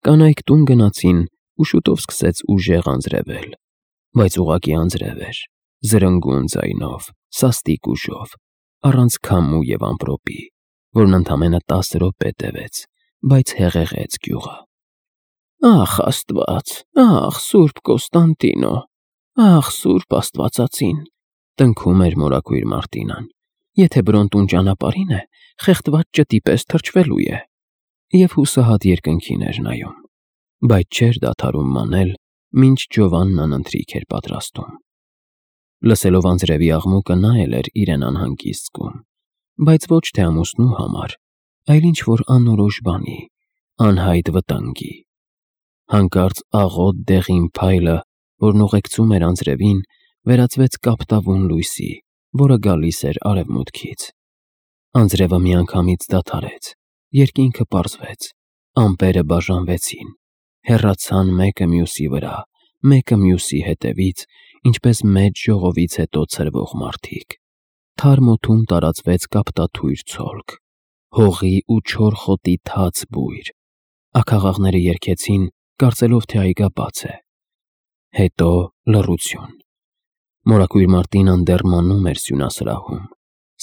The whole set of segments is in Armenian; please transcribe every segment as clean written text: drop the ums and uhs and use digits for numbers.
Կանայք տուն գնացին ու շուտով սկսեց ուժեղ անձրևել, բայց ուղղակի անձրև էր, զրնգուն ձայնով, սաստիկ ուժով, առանց քամու և ամպրոպի, որն ընդամենը 10 րոպե տևեց, բայց հեղեղեց գյուղը։ «Ախ, Աստված, ախ, Սուրբ Կոստանդինո, ախ, Սուրբ Աստվածածին», տնքում էր մորաքույր Մարտինան։ «Եթե Բրոնտուն ճանապարհին է, խեղդված ճտի պես թրջվելու է»։ Եվ հուսահատ երկնքին էր նայում, բայց չէր դադարում մանել, մինչ Ջովաննան ընթրիք էր պատրաստում։ Լսելով անձրևի աղմուկը նա էլ էր իրեն անհանգիստ զգում, բայց ոչ թե ամուսնու համար, այլ ինչ-որ անորոշ բանի, անհայտ վտանգի։ Հանկարծ աղոտ դեղին փայլը, որն ուղեկցում էր անձրևին, վերածվեց կապտավուն լույսի, որը գալիս էր արևմուտքից։ Անձրևը միանգամից դադարեց, երկինքը պարզվեց, ամպերը բաժանվեցին, հեռացան մեկը մյուսի վրա, մեկը մյուսի հետևից, ինչպես մեծ ժողովից հետո ցրվող մարդիկ։ Թարմ օդում տարածվեց կապտաթույր ցոլք, հողի ու չոր խոտի թաց բույր։ Աքաղաղները երգեցին, կարծելով, թե այգա բաց է։ Հետո լռություն։ Մորաքույր Մարտինան դեռ մանում էր սյունասրահում,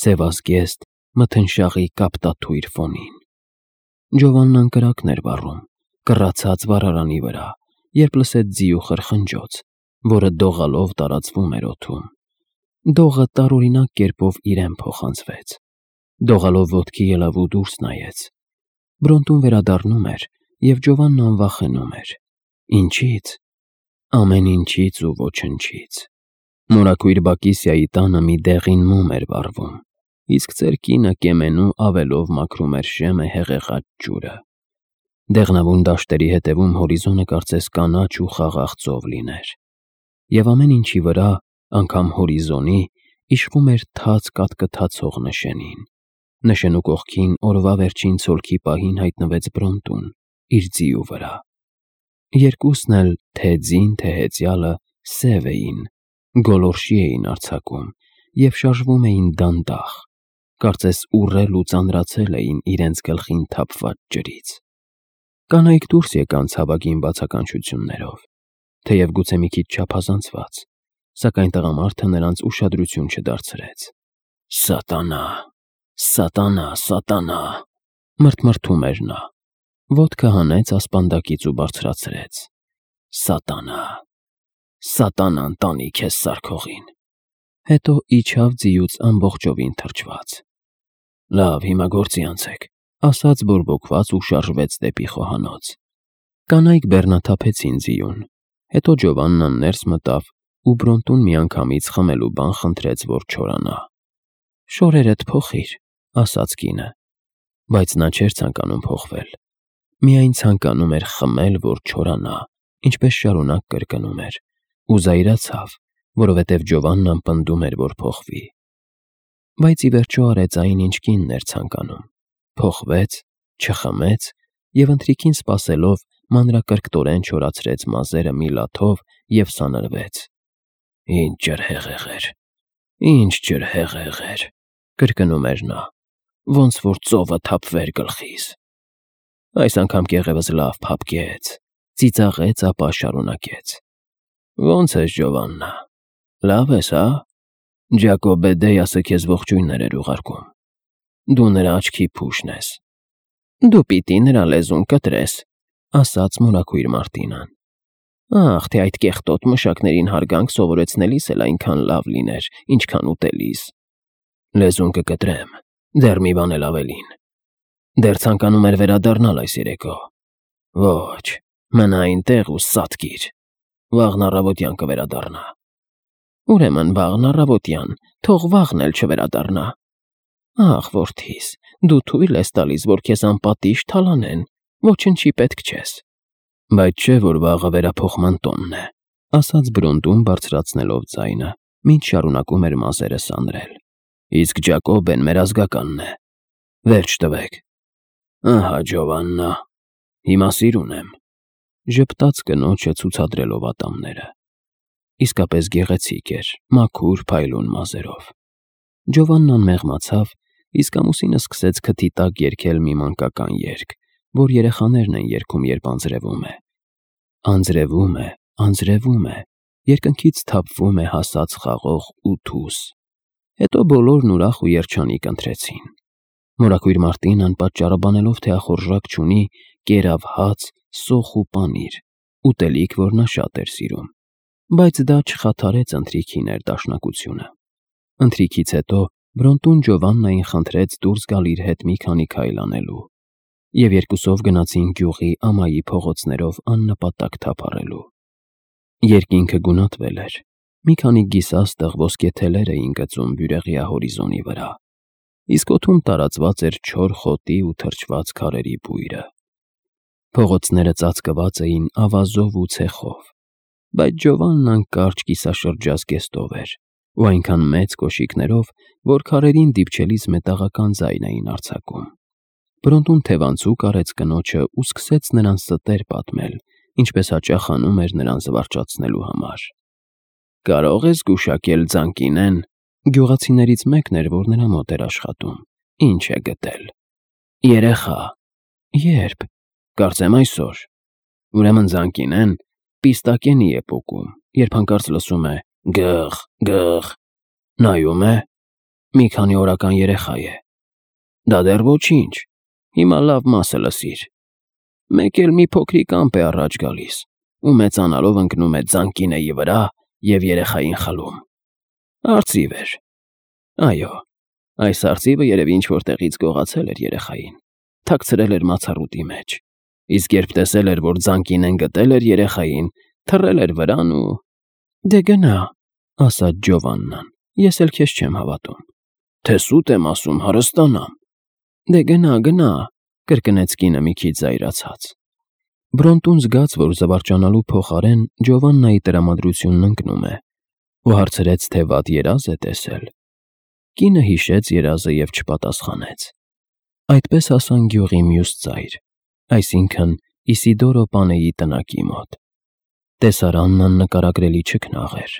սևազգեստ, մթնշաղի կապտաթույր ֆոնին։ Ջովաննան կրակն էր վառում, կռացած վառարանի վրա, երբ լսեց ձիու խրխնջոց, որը դողալով տարածվում էր օդում։ Դողը տարօրինակ կերպով իրեն փոխանցվեց։ Դողալով ոտքի ելավ ու դուրս նայեց։ Բրոնտուն վերադառնում էր, և Ջովաննան վախենում էր։ Ինչի՞ց։ Ամեն ինչից ու ոչնչից։ Մորաքույր Բակիսիայի տանը մի դեղին մոմ էր վառվում, իսկ ծեր կինը կեմենու ավելով մաքրում էր շեմը հեղեղած ջուրը։ Դեղնավուն դաշտերի հետևում հորիզոնը կարծես կանաչ ու խաղաղ ծով լիներ։ Եվ ամեն ինչի վրա, անգամ հորիզոնի, իշխում էր թաց կատկթացող նշանին։ Նշանու կողքին օրվա վերջին ցոլքի պահին հայտնվեց Բրոնտուն, իր ձիու վրա։ Երկուսն էլ, թե ձին, թե հեծյալը, սև էին, գոլորշի էին արձակում և շարժվում էին դանդաղ, կարծես ուռել ու ծանրացել էին իրենց գլխին թափված ջրից։ Կանայք դուրս եկան ցավագին բացականչություններով, թեև գուցե մի քիչ չափազանցված, սակայն տղամարդը նրանց ուշադրություն չդարձրեց։ «Սատանա, սատանա, սատանա», մրթմրթում էր նա, ոտքը հանեց ասպանդակից ու բարձրացրեց։ «Սատանա, սատանան տանի քեզ սարքողին»։ Հետո իջավ ձիուց ամբողջովին թրջված։ «Լավ, հիմա գործի անցեք», ասաց բորբոքված ու շարժվեց դեպի խոհանոց։ Կանայք բեռնաթափեցին ձիուն, հետո Ջովաննան ներս մտավ ու Բրոնտուն միանգամից խմելու բան խնդրեց, որ չորանա։ «Շորերդ փոխիր», ասաց կինը, բայց նա չէր ցանկանում փոխվել, միայն ցանկանում էր խմել, որ չորանա, ինչպես շարունակ կրկնում էր, ու զայրացավ, որովհետև Ջովաննան պնդում էր, որ փոխվի։ Բայց ի վերջո արեց այն, ինչ կինն էր ցանկանում, փոխվեց, չխմեց և ընթրիքին սպասելով մանրակրկտորեն չորացրեց մազերը մի լաթով և սանրվեց։ «Ինչ ջրհեղեղ էր, ինչ ջրհեղեղ էր», կրկնում էր նա, «ոնց որ ծովը թափվեր գլխիս»։ Այս անգամ կեղևս լավ փափկեց, ծիծաղեց, ապա շարունակեց. «Ոնց ես, Ջովաննա, լավ ես, հա՞։ Ջակոբե Դեյասը քեզ ողջույններ էր ուղարկում։ Դու նրա աչքի փուշն ես»։ «Դու պիտի նրա լեզուն կտրես», ասաց մորաքույր Մարտինան։ «Ախ, թե այդ կեղտոտ մշակներին հարգանք սովորեցնելիս էլ այնքան լավ լիներ, ինչքան ուտելիս»։ «Լեզուն կկտրեմ, դեռ մի բան էլ ավելին։ Դեռ ցանկանում էր վերադառնալ այս երեկո։ Ոչ, մնա այնտեղ ու սատկիր, վաղն առավոտյան կվերադառնա»։ «Ուրեմն վաղն առավոտյան, թող վաղն էլ չվերադառնա»։ «Ախ, որդիս, դու թույլ ես տալիս, որ քեզ անպատիժ թալանեն, ոչնչի պետք չես»։ «Բայց չէ, որ վաղը վերափոխման տոնն է», ասաց Բրոնտուն բարձրացնելով ձայնը, մինչ շարունակում էր մազերը սանրել։ «Իսկ Ջակոբեն մեր ազգականն է։ Վերջ տվեք»։ «Ահա, Ջովաննա, հիմա սիրուն եմ», ժպտաց կնոջը ցուցադրելով ատամները։ Իսկապես գեղեցիկ էր, մաքուր, փայլուն մազերով։ Ջովաննան մեղմացավ, իսկ ամուսինը սկսեց քթի տակ երգել մի մանկական երգ, որ երեխաներն են երգում, երբ անձրևում է։ Անձրևում է, անձրևում է, երկնքից թափվում է հասած խաղող ու թուս։ Հետո բոլորն ուրախ ու երջանիկ ընթրեցին։ Մորաքույր Մարտին անպատճառաբանելով, թե ախորժակ չունի, կերավ հաց, սոխ ու պանիր, ուտելիք, որ նա շատ էր սիրում, բայց դա չխաթարեց ընթրիքի ներդաշնակությունը։ Ընթրիքից հետո Բրոնտուն Ջովաննային խնդրեց դուրս գալ իր հետ մի քանի քայլ անելու, և երկուսով գնացին գյուղի ամայի փողոցներով աննպատակ թափառելու։ Երկինքը գունատվել էր, մի քանի գիսաստղ ոսկե թելեր էին գծում բյուրեղյա հորիզոնի վրա, իսկ օդում տարածված էր չոր խոտի ու թրջված քարերի բույրը։ Փողոցները ծածկված էին ավազով ու ցեխով, բայց Ջովաննան կարճ կիսաշրջազգեստով էր ու այնքան մեծ կոշիկներով, որ քարերին դիպչելիս մետաղական ձայն էին արձակում։ Բրոնտուն թևանցուկ արեց կնոջը ու սկսեց նրան ստեր պատմել, ինչպես հաճախ անում էր նրան զվարճացնելու համար։ «Կարո՞ղ ես գուշակել Ձանկինեն»։ Գյուղացիներից մեկն էր, որ նրա մոտ էր աշխատում։ «Ինչ է գտել»։ «Երեխա»։ «Ե՞րբ»։ «Կարծեմ այսօր»։ Ուրեմն Ձանկինեն պիստակենի է պոկում, երբ հանկարծ լսում է «գըղ, գըղ»։ Նայում է, մի քանի օրական երեխա է։ Դա դեռ ոչինչ, հիմա լավ մասը լսիր։ Մեկ էլ մի փոքրիկ ամպ է առաջ գալիս ու մեծանալով ընկնում է Ձանկինեի վրա և երեխային խլում։ Արծիվ էր։ Այո, այս արծիվը երևի ինչ-որ տեղից գողացել էր երեխային, թաքցրել էր մացառուտի մեջ, իսկ երբ տեսել էր, որ Ձանկինեն գտել էր երեխային, թռել էր վրան ու… «Դե գնա», ասաց Ջովաննան, «ես էլ քեզ չեմ հավատում»։ «Թե սուտ եմ ասում, հարստանամ»։ «Դե գնա, գնա», կրկնեց կինը մի քիչ զայրացած։ Բրոնտուն զգաց, որ զվարճանալու փոխարեն Ջովաննայի տրամադրությունն ընկնում է, ու հարցրեց, թե վատ երազ է տեսել։ Կինը հիշեց երազը և չպատասխանեց։ Այդպես հասան գյուղի մյուս ծայր, այսինքն Իսիդորո պանեի տնակի մոտ։ Տեսարանն աննկարագրելի չքնաղ էր։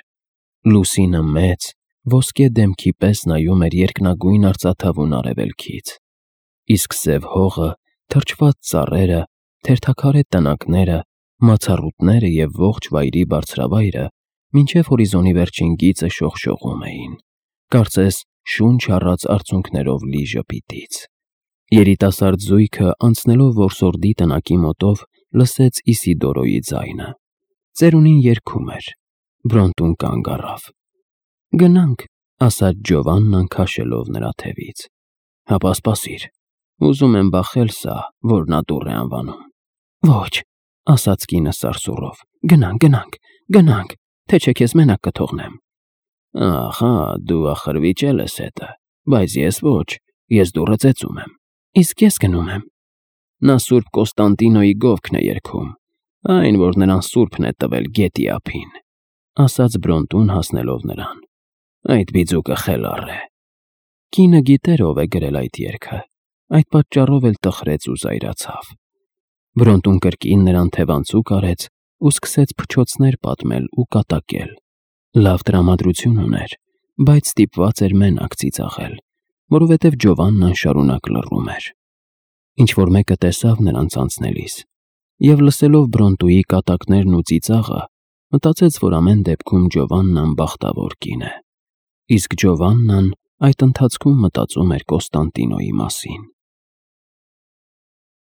Լուսինը մեծ, ոսկե դեմքի պես նայում էր երկնագույն արծաթավուն արևելքից, իսկ սև հողը, թրջված ծառերը, թերթաքարե տնակները, մացառուտները և ողջ վայրի բարձրավայրը մինչև հորիզոնի վերջին գիծը շողշողում էին, կարծես շունչ առած արցունքներով լի ժպիտից։ Երիտասարդ զույգը, անցնելով որսորդի տնակի մոտով, լսեց Իսիդորոյի ձայնը։ Ծերունին երգում էր։ Բրոնտուն կանգ առավ։ «Գնանք», ասաց Ջովաննան քաշելով նրա թևից։ «Հապա սպասիր, ուզում եմ բախել սա, որ նա դուռ է անվանում»։ «Ոչ», ասաց կինը սարսուռով, «գնանք, գնանք, գնանք, թե չէ քեզ մենակ կթողնեմ»։ «Ահա, դու ախր վիճել ես հետը, բայց ես ոչ, ես դուռը ծեծում եմ»։ «Իսկ ես գնում եմ»։ Նա Սուրբ Կոստանդինոյի գովքն է երգում, այն, որ նրան սուրբն է տվել գետի ափին, ասաց Բրոնտուն հասնելով նրան։ Այդ բիձուկը խելառ է։ Կինը գիտեր ով է գրել այդ երգը, այդ պատճառով էլ տխրեց ու զայրացավ։ Բրոնտուն կրկին նրան թևանցուկ արեց ու սկսեց փչոցներ պատմել ու կատակել։ Լավ տրամադրություն ուներ, բայց ստիպված էր մենակ ծիծաղել, որովհետև Ջովաննան շարունակ լռում էր։ Ինչ-որ մեկը տեսավ նրանց անցնելիս, և լսելով Բրոնտուի կատակներն ու ծիծաղը, մտածեց, որ ամեն դեպքում Ջովաննան բախտավոր կին է, իսկ Ջովաննան այդ ընթացքում մտածում էր Կոստանդինոյի մասին։